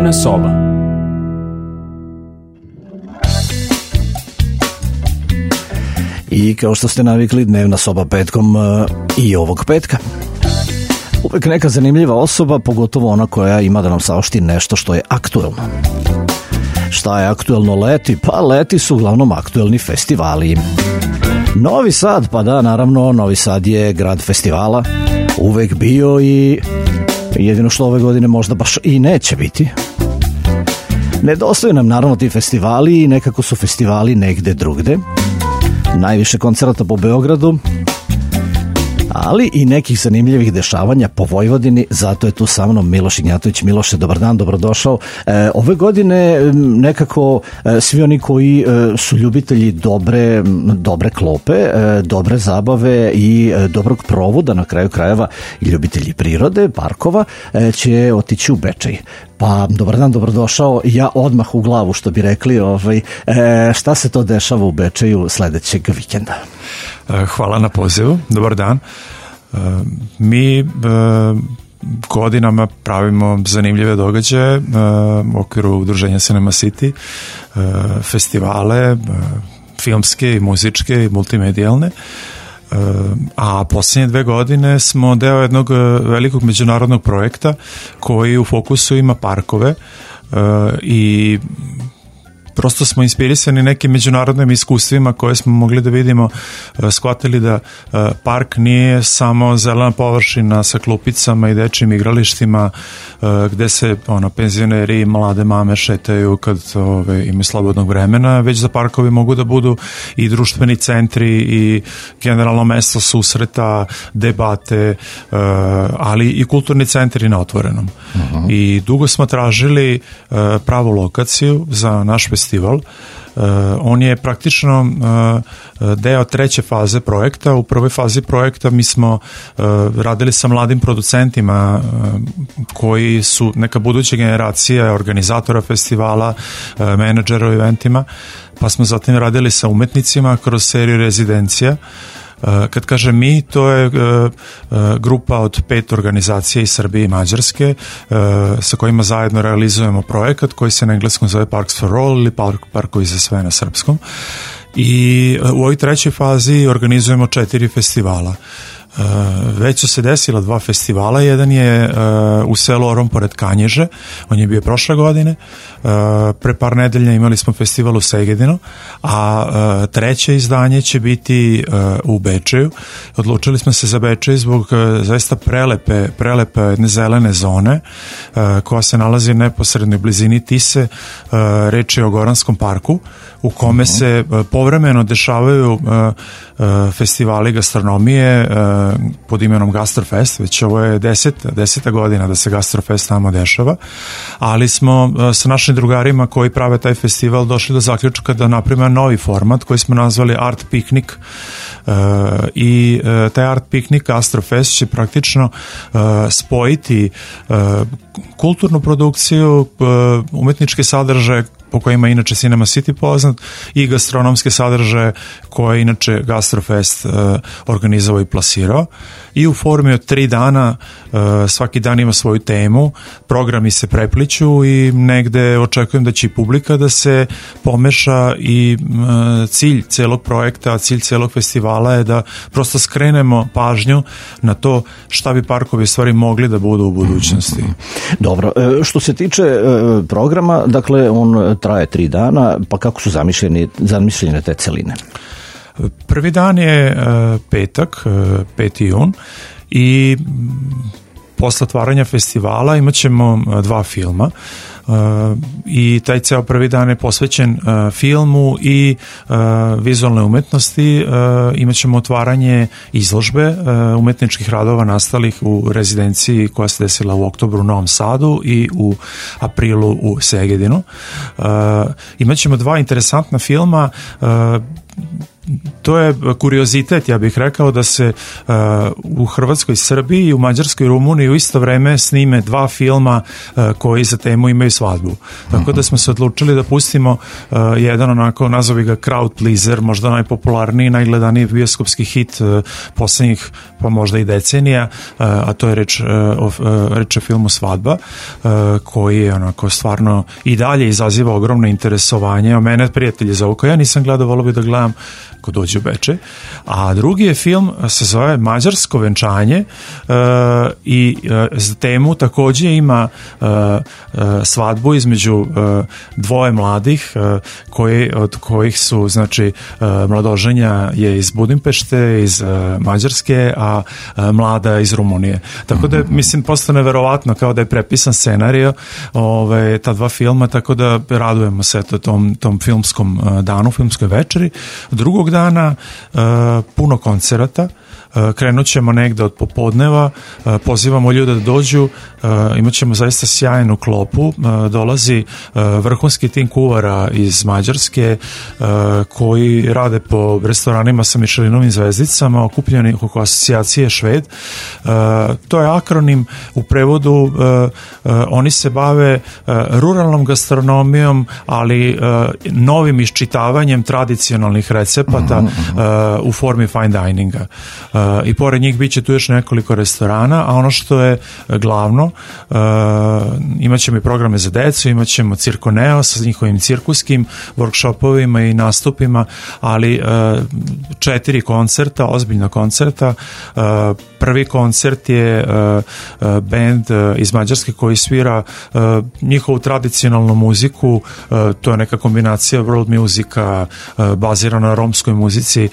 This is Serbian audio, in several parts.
Dnevna soba. I kao što ste navikli, dnevna soba petkom i ovog petka. Uvek neka zanimljiva osoba, pogotovo ona koja ima da nam saopšti nešto što je aktuelno. Šta je aktuelno leti? Pa leti su uglavnom aktuelni festivali. Novi Sad, pa da, naravno, Novi Sad je grad festivala, uvek bio i jedino što ove godine možda baš i neće biti. Nedostaju nam naravno ti festivali i nekako su festivali negde drugde. Najviše koncerata po Beogradu, ali i nekih zanimljivih dešavanja po Vojvodini, zato je tu sa mnom Miloš Ignjatović. Miloše, dobar dan, dobrodošao. Ove godine nekako svi oni koji su ljubitelji dobre klope, dobre zabave i dobrog provoda, na kraju krajeva i ljubitelji prirode, parkova, će otići u Bečej. Pa, dobar dan, dobrodošao. Ja odmah u glavu, što bi rekli, šta se to dešava u Bečeju sledećeg vikenda? Hvala na pozivu, dobar dan. Mi godinama pravimo zanimljive događaje u okviru udruženja Cinema City, festivale, filmske i muzičke i multimedijalne. A posljednje 2 godine smo deo jednog velikog međunarodnog projekta koji u fokusu ima parkove i prosto smo inspirisani nekim međunarodnim iskustvima koje smo mogli da vidimo, shvatili da park nije samo zelena površina sa klupicama i dečjim igralištima gde se penzioneri i mlade mame šetaju kad imaju slobodnog vremena, već da parkovi mogu da budu i društveni centri i generalno mesto susreta, debate, ali i kulturni centri na otvorenom. I dugo smo tražili pravu lokaciju za naš festival. On je praktično deo 3. faze projekta. U prvoj fazi projekta mi smo radili sa mladim producentima koji su neka buduća generacija organizatora festivala, menadžera u eventima, pa smo zatim radili sa umetnicima kroz seriju rezidencija. Kad kažem mi, to je grupa od 5 organizacija iz Srbije i Mađarske sa kojima zajedno realizujemo projekat koji se na engleskom zove Parks for All ili Parkovi za sve na srpskom. I u ovoj 3. fazi organizujemo 4 festivala. Već su se desila 2 festivala, jedan je u selu Orom pored Kanjiže, on je bio prošle godine, pre par nedelja imali smo festival u Segedinu, a 3. izdanje će biti u Bečeju. Odlučili smo se za Bečej zbog zaista prelepe jedne zelene zone koja se nalazi u neposrednoj blizini Tise. Reč je o Goranskom parku u kome se povremeno dešavaju festivali gastronomije pod imenom Gastrofest, već ovo je 10. godina da se Gastrofest tamo dešava, ali smo sa našim drugarima koji prave taj festival došli do zaključka da napravimo novi format koji smo nazvali Art Piknik i taj Art Piknik Gastrofest će praktično spojiti kulturnu produkciju, umetničke sadržaje po kojima inače Cinema City poznat i gastronomske sadržaje koje inače Gastrofest organizovao i plasirao, i u formi od 3 dana svaki dan ima svoju temu, programi se prepliću i negde očekujem da će i publika da se pomeša i cilj celog projekta, cilj celog festivala je da prosto skrenemo pažnju na to šta bi parkovi stvari mogli da budu u budućnosti. Dobro, što se tiče programa, dakle on traje 3 dana, pa kako su zamišljene te celine? Prvi dan je petak, 5. jun, i posle otvaranja festivala imat ćemo 2 filma i taj ceo prvi dan je posvećen filmu i vizualnoj umetnosti. Imat ćemo otvaranje izložbe umetničkih radova nastalih u rezidenciji koja se desila u oktobru u Novom Sadu i u aprilu u Segedinu. Imat ćemo 2 interesantna filma. to je kuriozitet, ja bih rekao, da se u Hrvatskoj, Srbiji i u Mađarskoj i Rumuniji u isto vreme snime 2 filma koji za temu imaju svadbu. Tako da smo se odlučili da pustimo jedan onako, nazovi ga crowd pleaser, možda najpopularniji, najgledaniji bioskopski hit poslednjih, pa možda i decenija, a to je reč o filmu Svadba, koji je onako stvarno i dalje izaziva ogromno interesovanje. O mene prijatelji zovu, ko ja nisam gledao, volio bi da gledam ko dođe u Bečej. A drugi je film, se zove Mađarsko venčanje i za temu takođe ima svadbu između dvoje mladih od kojih su, znači, mladoženja je iz Budimpešte, iz Mađarske, a mlada iz Rumunije. Tako da, mislim, postane verovatno kao da je prepisan scenario ta 2 filma, tako da radujemo se tom filmskom danu, filmskoj večeri. Drugog dana puno koncerata, krenut ćemo negde od popodneva, pozivamo ljude da dođu, imat ćemo zaista sjajnu klopu, dolazi vrhunski tim kuvara iz Mađarske koji rade po restoranima sa Michelinovim zvezdicama, okupljeni oko asocijacije Šved. To je akronim, u prevodu oni se bave ruralnom gastronomijom, ali novim iščitavanjem tradicionalnih recepata u formi fine dininga. I pored njih bit će tu još nekoliko restorana, a ono što je glavno, imat ćemo i programe za decu, imat ćemo Cirkoneo sa njihovim cirkuskim workshopovima i nastupima, ali 4 koncerta, ozbiljna koncerta. Prvi koncert je band iz Mađarske koji svira njihovu tradicionalnu muziku, to je neka kombinacija world musika bazirana na romskoj muzici,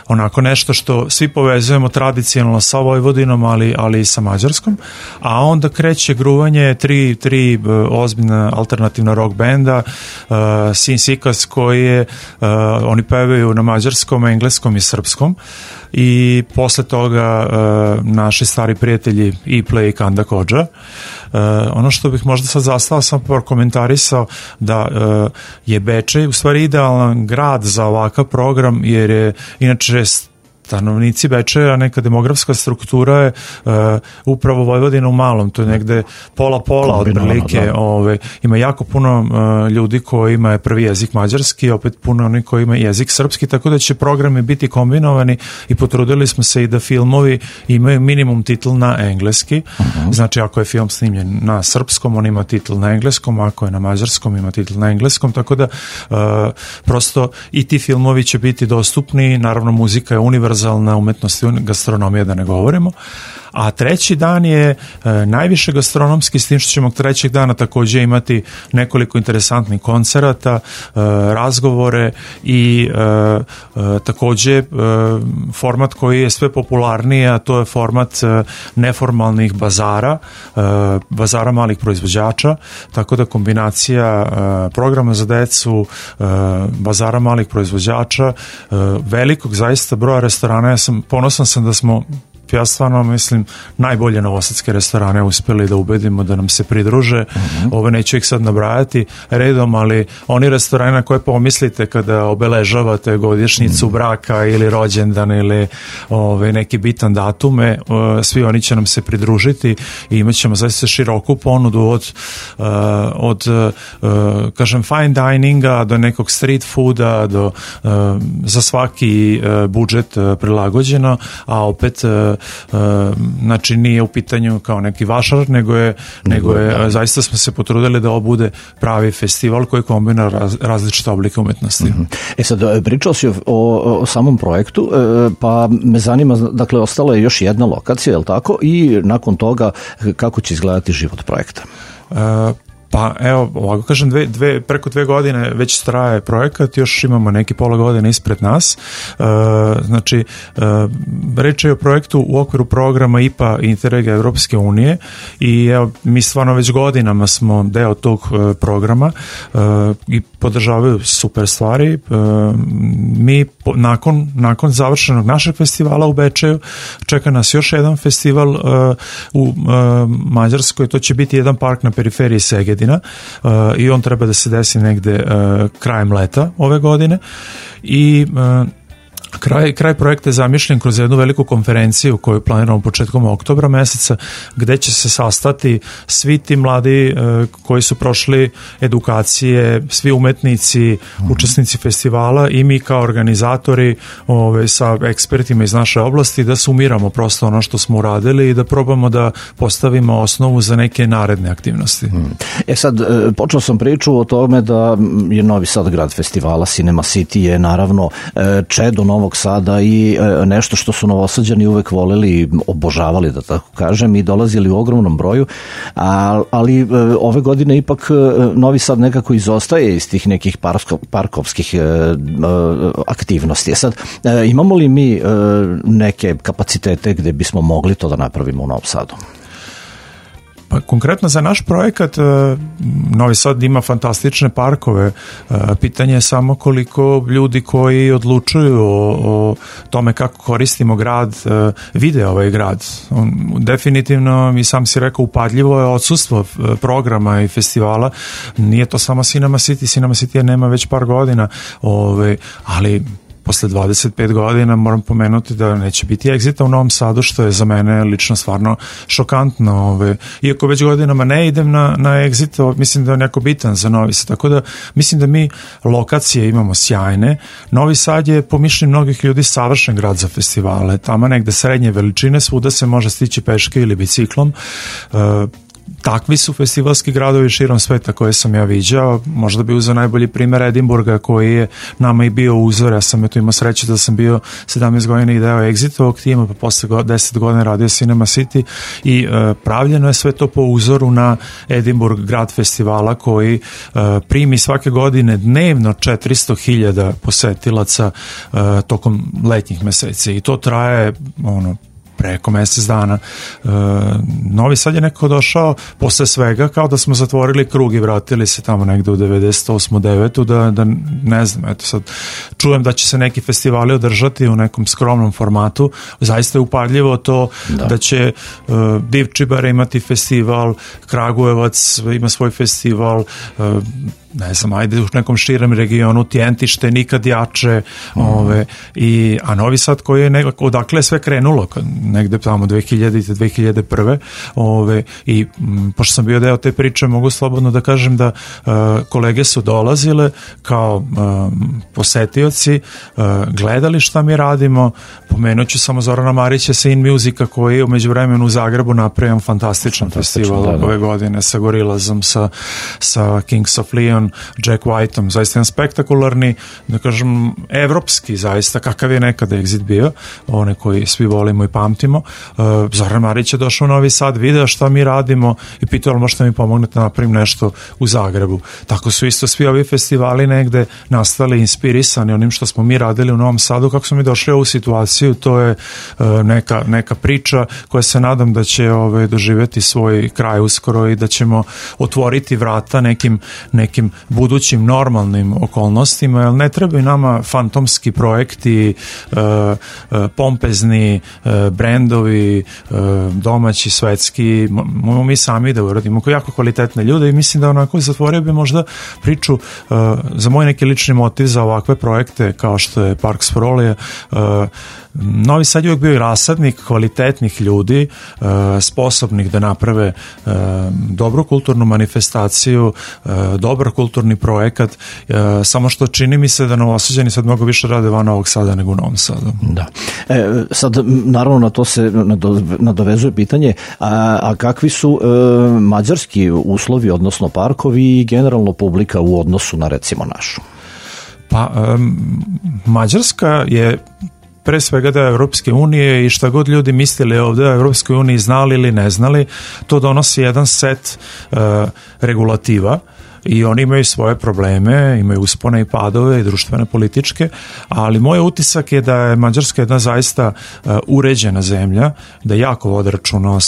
onako nešto što svi povezujemo tradicionalno sa Vojvodinom, ali i sa Mađarskom, a onda kreće gruvanje tri ozbiljna alternativna rock benda, Sin Sikas, koji je, oni pevaju na mađarskom, engleskom i srpskom, i posle toga naši stari prijatelji Iple i Kanda Kodža. Ono što bih možda sad zastao, sam komentarisao da je Bečej u stvari idealan grad za ovakav program, jer je inače stanovnici Bečeja, neka demografska struktura je upravo Vojvodina u malom, to je negde pola otprilike, ima jako puno ljudi kojima je prvi jezik mađarski, opet puno oni koji ima jezik srpski, tako da će programi biti kombinovani i potrudili smo se i da filmovi imaju minimum titl na engleski, znači ako je film snimljen na srpskom, on ima titl na engleskom, ako je na mađarskom, ima titl na engleskom, tako da prosto i ti filmovi će biti dostupni, naravno muzika je univerzalna, umetnost i gastronomija, da ne govorimo. A treći dan je najviše gastronomski, s tim što ćemo trećeg dana takođe imati nekoliko interesantnih koncerata, razgovore i takođe format koji je sve popularniji, a to je format neformalnih bazara malih proizvođača, tako da kombinacija programa za decu, bazara malih proizvođača, velikog zaista broja restorana. Ponosan sam da smo, ja stvarno mislim, najbolje novosadske restorane uspeli da ubedimo da nam se pridruže. Ove neću ih sad nabrajati redom, ali oni restorani na koje pomislite kada obeležavate godišnjicu braka ili rođendan ili neki bitan datume, svi oni će nam se pridružiti i imat ćemo zaista široku ponudu od kažem fine dininga do nekog street fooda, za svaki budžet prilagođeno, a opet znači nije u pitanju kao neki vašar, nego je zaista smo se potrudili da ovo bude pravi festival koji kombinira različite oblike umetnosti. Sad, pričao si o samom projektu, pa me zanima, dakle, ostala je još jedna lokacija, je li tako? I nakon toga, kako će izgledati život projekta? Pa evo, ovako kažem, preko 2 godine već traje projekat, još imamo neki pola godine ispred nas. Znači, reč je o projektu u okviru programa IPA Interrega Evropske unije i evo, mi stvarno već godinama smo deo tog programa i podržavaju super stvari. Mi nakon završenog našeg festivala u Bečeju čeka nas još jedan festival u Mađarskoj, to će biti jedan park na periferiji Segedina, Predina i on treba da se desi negde krajem leta ove godine i Kraj projekta je zamišljen kroz jednu veliku konferenciju koju planiramo početkom oktobra meseca, gde će se sastati svi ti mladi koji su prošli edukacije, svi umetnici, učesnici festivala i mi kao organizatori sa ekspertima iz naše oblasti da sumiramo prosto ono što smo uradili i da probamo da postavimo osnovu za neke naredne aktivnosti. Sad, počeo sam priču o tome da je Novi Sad grad festivala, Cinema City je naravno čedo Novog Sada i nešto što su Novosađani uvek voleli i obožavali, da tako kažem, i dolazili u ogromnom broju, ali ove godine ipak Novi Sad nekako izostaje iz tih nekih parkovskih aktivnosti. Sad, imamo li mi neke kapacitete gde bismo mogli to da napravimo u Novom Sadu? Pa konkretno za naš projekat Novi Sad ima fantastične parkove. Pitanje je samo koliko ljudi koji odlučuju o tome kako koristimo grad vide ovaj grad. Definitivno, mi sam si rekao, upadljivo je odsustvo programa i festivala. Nije to samo Cinema City. Cinema City nema već par godina, ali posle 25 godina moram pomenuti da neće biti Exita u Novom Sadu, što je za mene lično stvarno šokantno. Iako već godinama ne idem na Exit, mislim da je neko bitan za Novi Sad. Tako da mislim da mi lokacije imamo sjajne. Novi Sad je po mišljenju mnogih ljudi savršen grad za festivale. Tamo negde srednje veličine, svuda se može stići peške ili biciklom. Takvi su festivalski gradovi širom sveta koje sam ja viđao. Možda bi uzeo najbolji primer Edinburga koji je nama i bio uzor. Ja sam imao sreće da sam bio 17 godina i deo Exitovog tima, pa posle 10 godina radio Cinema City i pravljeno je sve to po uzoru na Edinburgh grad festivala koji primi svake godine dnevno 400.000 posetilaca tokom letnjih meseci i to traje preko mesec dana. Novi Sad je nekako došao posle svega kao da smo zatvorili krug i vratili se tamo negde u 98. 9. da ne znam, eto sad čujem da će se neki festivali održati u nekom skromnom formatu. Zaista je upadljivo to da će Divčibar imati festival, Kragujevac ima svoj festival, ne znam, ajde u nekom širem regionu, Tjentište nikad jače, a Novi Sad koji je nekako, odakle je sve krenulo, negde tamo 2000. 2001. I pošto sam bio deo te priče, mogu slobodno da kažem da kolege su dolazile kao posetioci, gledali šta mi radimo. Pomenut ću samo Zorana Marića sa In Musica koji je umeđu vremenu u Zagrebu napravio fantastičan festival ove godine sa Gorillazom, sa Kings of Leon, Jack Whiteom, zaista jedan spektakularni, da kažem, evropski zaista, kakav je nekada Exit bio, one koji svi volimo i pamtimo. Zoran Marić je došao u Novi Sad, video šta mi radimo i pitao li možete mi pomognete da napravim nešto u Zagrebu. Tako su isto svi ovi festivali negde nastali inspirisani onim što smo mi radili u Novom Sadu. Kako smo mi došli u ovu situaciju, to je neka priča koja se nadam da će doživjeti svoj kraj uskoro i da ćemo otvoriti vrata nekim budućim normalnim okolnostima, jer ne trebaju nama fantomski projekti, pompezni brendovi, domaći, svetski, mi sami da uradimo jako kvalitetne ljude i mislim da onako zatvorio bi možda priču za moj neki lični motiv za ovakve projekte kao što je Parks for All. Novi Sad je uvijek bio i rasadnik kvalitetnih ljudi, sposobnih da naprave dobru kulturnu manifestaciju, dobar kulturni projekat, samo što čini mi se da Novosađani sad mnogo više rade van Novog Sada nego u Novom Sadu. Da. Sad, naravno, na to se nadovezuje pitanje, a kakvi su mađarski uslovi, odnosno parkovi i generalno publika u odnosu na, recimo, našu? Pa, Mađarska je pre svega da je Evropske unije i šta god ljudi mislili ovde o Evropskoj uniji, znali ili ne znali, to donosi jedan set regulativa i oni imaju svoje probleme, imaju uspone i padove i društvene, političke, ali moj utisak je da je Mađarska jedna zaista uređena zemlja, da jako vode računa o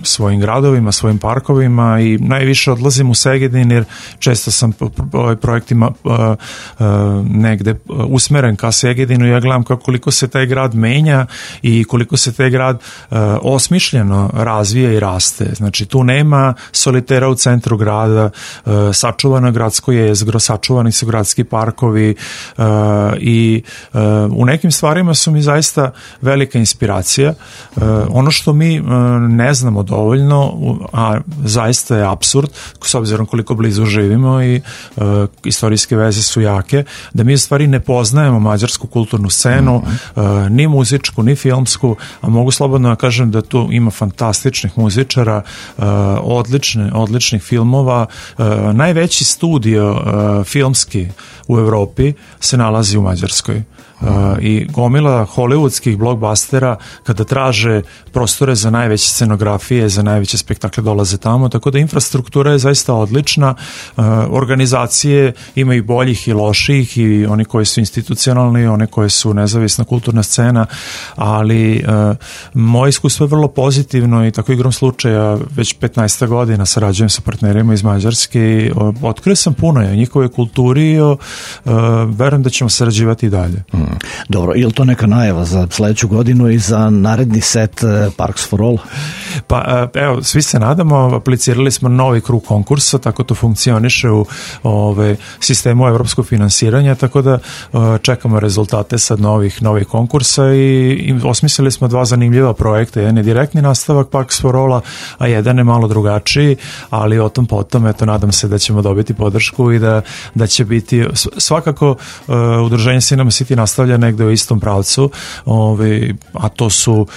svojim gradovima, svojim parkovima i najviše odlazim u Segedin jer često sam projektima negde usmeren ka Segedinu i ja gledam koliko se taj grad menja i koliko se taj grad osmišljeno razvija i raste. Znači tu nema solitera u centru grada, sačuvano gradsko jezgro, sačuvani su gradski parkovi i u nekim stvarima su mi zaista velika inspiracija. Ono što mi ne znamo dovoljno, a zaista je apsurd, s obzirom koliko blizu živimo i istorijske veze su jake, da mi u stvari ne poznajemo mađarsku kulturnu scenu, ni muzičku, ni filmsku, a mogu slobodno da kažem da tu ima fantastičnih muzičara, odličnih filmova. Najveći studio filmski u Evropi se nalazi u Mađarskoj. I gomila hollywoodskih blockbustera kada traže prostore za najveće scenografije, za najveće spektakle dolaze tamo, tako da infrastruktura je zaista odlična, organizacije ima i boljih i loših i oni koji su institucionalni i one koje su nezavisna kulturna scena, ali moje iskustvo je vrlo pozitivno i tako igrom slučaja već 15 godina sarađujem sa partnerima iz Mađarske i otkrio sam puno o njihovoj kulturi i verujem da ćemo sarađivati i dalje. Dobro, je li to neka najava za sledeću godinu i za naredni set Parks for All? Pa evo, svi se nadamo, aplicirali smo novi krug konkursa, tako to funkcioniše u sistemu evropskog finansiranja, tako da čekamo rezultate sad novih konkursa i osmislili smo 2 zanimljiva projekta, jedan je direktni nastavak Parks for All-a, a jedan je malo drugačiji, ali o tom potom, eto, nadam se da ćemo dobiti podršku i da će biti, svakako udruženje Cinema City nastavlja negde u istom pravcu, a to su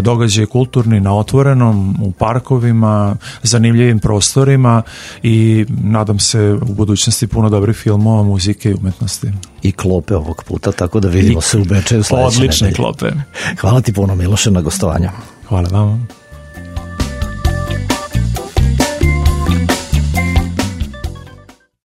događaje kulturni na otvorenom, u parkovima, zanimljivim prostorima i nadam se u budućnosti puno dobrih filmova, muzike i umetnosti. I klope ovog puta, tako da vidimo se u Bečeju sledeće nedelje. Odlične klope. Hvala ti puno, Miloše, na gostovanju. Hvala vama.